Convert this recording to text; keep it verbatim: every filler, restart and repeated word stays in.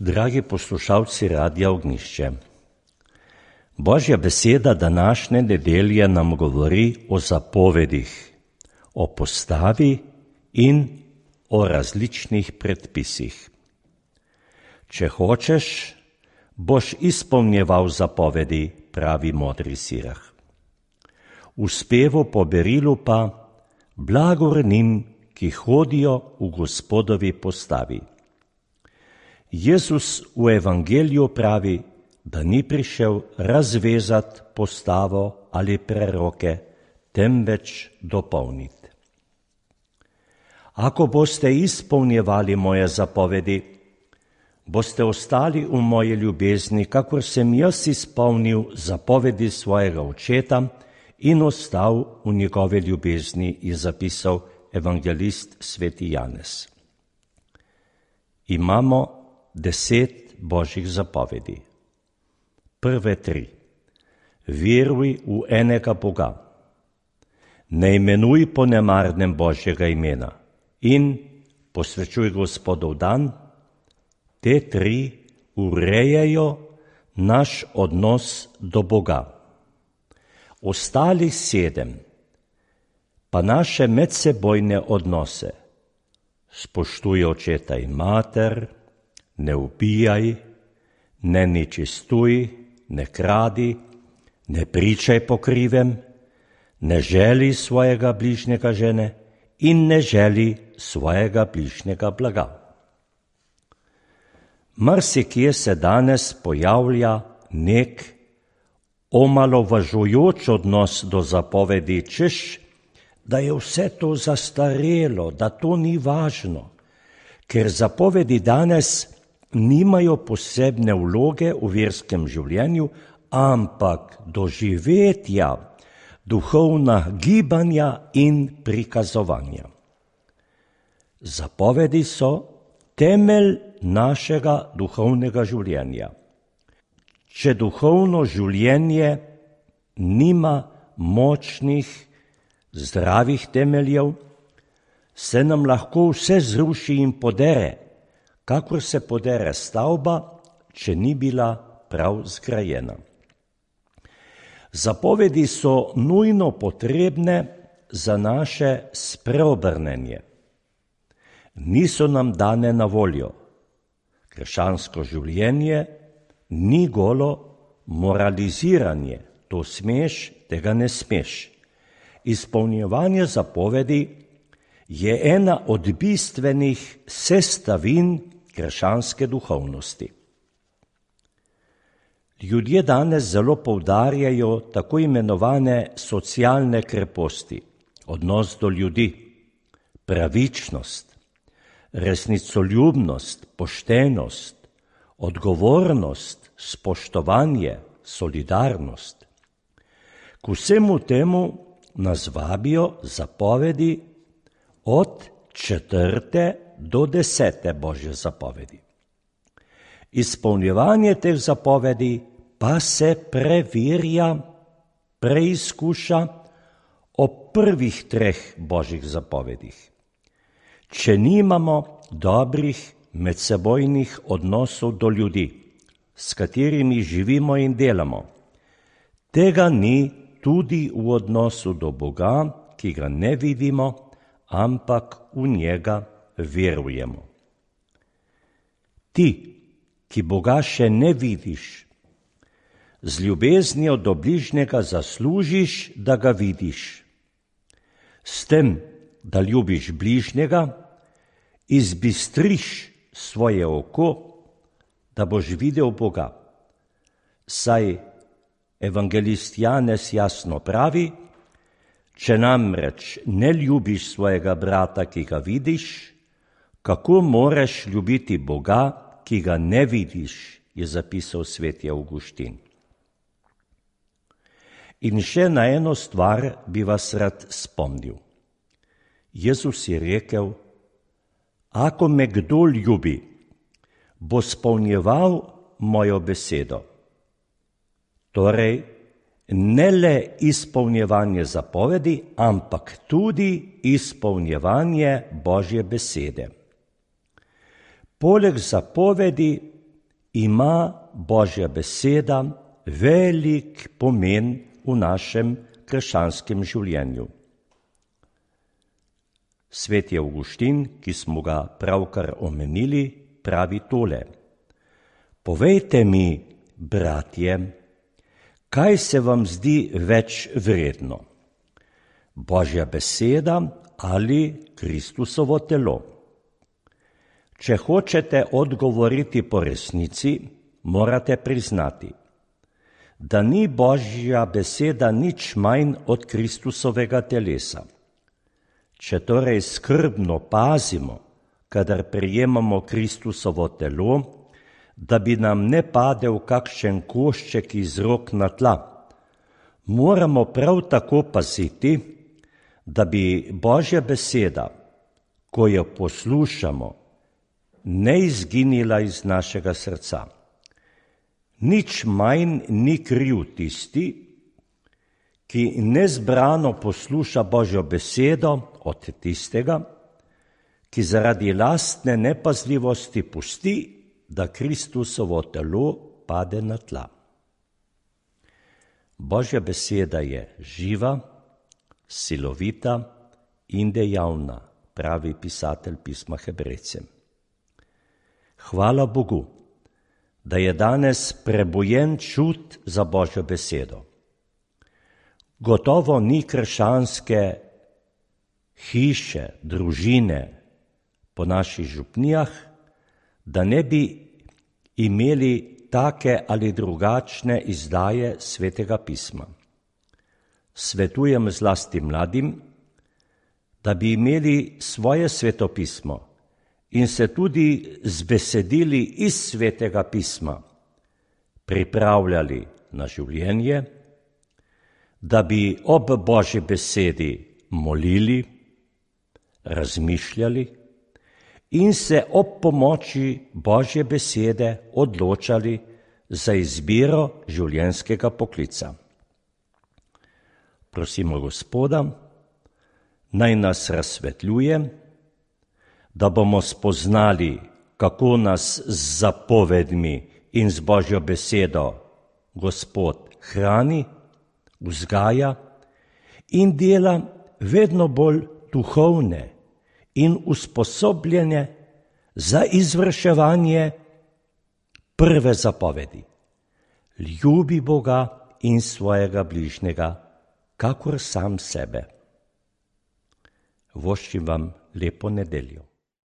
Dragi poslušalci Radia Ognjišče, Božja beseda današnje nedelje nam govori o zapovedih, o postavi in o različnih predpisih. Če hočeš, boš izpolnjeval zapovedi, pravi modri Sirah. V spevu po berilu pa blagor njim, ki hodijo v Gospodovi postavi. Jezus v evangeliju pravi, da ni prišel razvezati postavo ali preroke, temveč dopolniti. Ako boste izpolnjevali moje zapovedi, boste ostali v moji ljubezni, kakor sem jaz izpolnil zapovedi svojega očeta in ostal v njegove ljubezni, je zapisal evangelist sveti Janez. Imamo deset božjih zapovedi. Prve tri. Veruj v enega Boga. Ne imenuj po nemarnem Božjega imena in posvečuj Gospodov dan. Te tri urejajo naš odnos do Boga. Ostalih sedem pa naše medsebojne odnose. Spoštuj očeta in mater, ne ubijaj, ne nečistuj, ne kradi, ne pričaj po krivem, ne želi svojega bližnjega žene in ne želi svojega bližnjega blaga. Marsikje se danes pojavlja nek omalovažujoč odnos do zapovedi, češ, da je vse to zastarelo, da to ni važno, ker zapovedi danes nimajo posebne vloge v verskem življenju, ampak doživetja, duhovna gibanja in prikazovanja. Zapovedi so temelj našega duhovnega življenja. Če duhovno življenje nima močnih, zdravih temeljev, se nam lahko vse zruši in podere, kakor se podere stavba, če ni bila prav zgrajena. Zapovedi so nujno potrebne za naše spreobrnenje. Niso nam dane na voljo. Krščansko življenje ni golo moraliziranje. To smeš, tega ne smeš. Izpolnjevanje zapovedi je ena od bistvenih sestavin krščanske duhovnosti. Ljudje danes zelo poudarjajo tako imenovane socialne kreposti, odnos do ljudi, pravičnost, resnicoljubnost, poštenost, odgovornost, spoštovanje, solidarnost. K vsemu temu nas vabijo zapovedi od četrte do desete Božje zapovedi. Izpolnjevanje teh zapovedi pa se preverja, preizkuša ob prvih treh Božjih zapovedih. Če nimamo dobrih medsebojnih odnosov do ljudi, s katerimi živimo in delamo, tega ni tudi v odnosu do Boga, ki ga ne vidimo, ampak v njega verujemo. Ti, ki Boga še ne vidiš, z ljubeznijo do bližnjega zaslužiš, da ga vidiš. S tem, da ljubiš bližnjega, izbistriš svoje oko, da boš videl Boga. Saj evangelist Janez jasno pravi, če namreč ne ljubiš svojega brata, ki ga vidiš, kako moreš ljubiti Boga, ki ga ne vidiš, je zapisal sveti Avguštin. In še na eno stvar bi vas rad spomnil. Jezus je rekel, ako me kdo ljubi, bo spolnjeval mojo besedo. Torej, ne le izpolnjevanje zapovedi, ampak tudi izpolnjevanje Božje besede. Poleg zapovedi ima Božja beseda velik pomen v našem krščanskem življenju. Sveti Avguštin, ki smo ga pravkar omenili, pravi tole: povejte mi, bratje, kaj se vam zdi več vredno, Božja beseda ali Kristusovo telo? Če hočete odgovoriti po resnici, morate priznati, da ni Božja beseda nič manj od Kristusovega telesa. Če torej skrbno pazimo, kadar prejemamo Kristusovo telo, da bi nam ne padel kakšen košček iz rok na tla, moramo prav tako paziti, da bi Božja beseda, ko jo poslušamo, ne izginila iz našega srca. Nič manj ni kriv tisti, ki nezbrano posluša Božjo besedo, od tistega, ki zaradi lastne nepazljivosti pusti, da Kristusovo telo pade na tla. Božja beseda je živa, silovita in dejavna, pravi pisatelj pisma Hebrejcem. Hvala Bogu, da je danes prebujen čut za Božjo besedo. Gotovo ni krščanske hiše, družine po naših župnijah, da ne bi imeli take ali drugačne izdaje Svetega pisma. Svetujem zlasti mladim, da bi imeli svoje svetopismo in se tudi z besedili iz Svetega pisma pripravljali na življenje, da bi ob Božji besedi molili, razmišljali in se ob pomoči Božje besede odločali za izbiro življenjskega poklica. Prosimo Gospoda, naj nas razsvetljuje, da bomo spoznali, kako nas z zapovedmi in z Božjo besedo Gospod hrani, vzgaja in dela vedno bolj duhovne in usposobljene za izvrševanje prve zapovedi. Ljubi Boga in svojega bližnjega, kakor sam sebe. Voščim vam lepo nedeljo.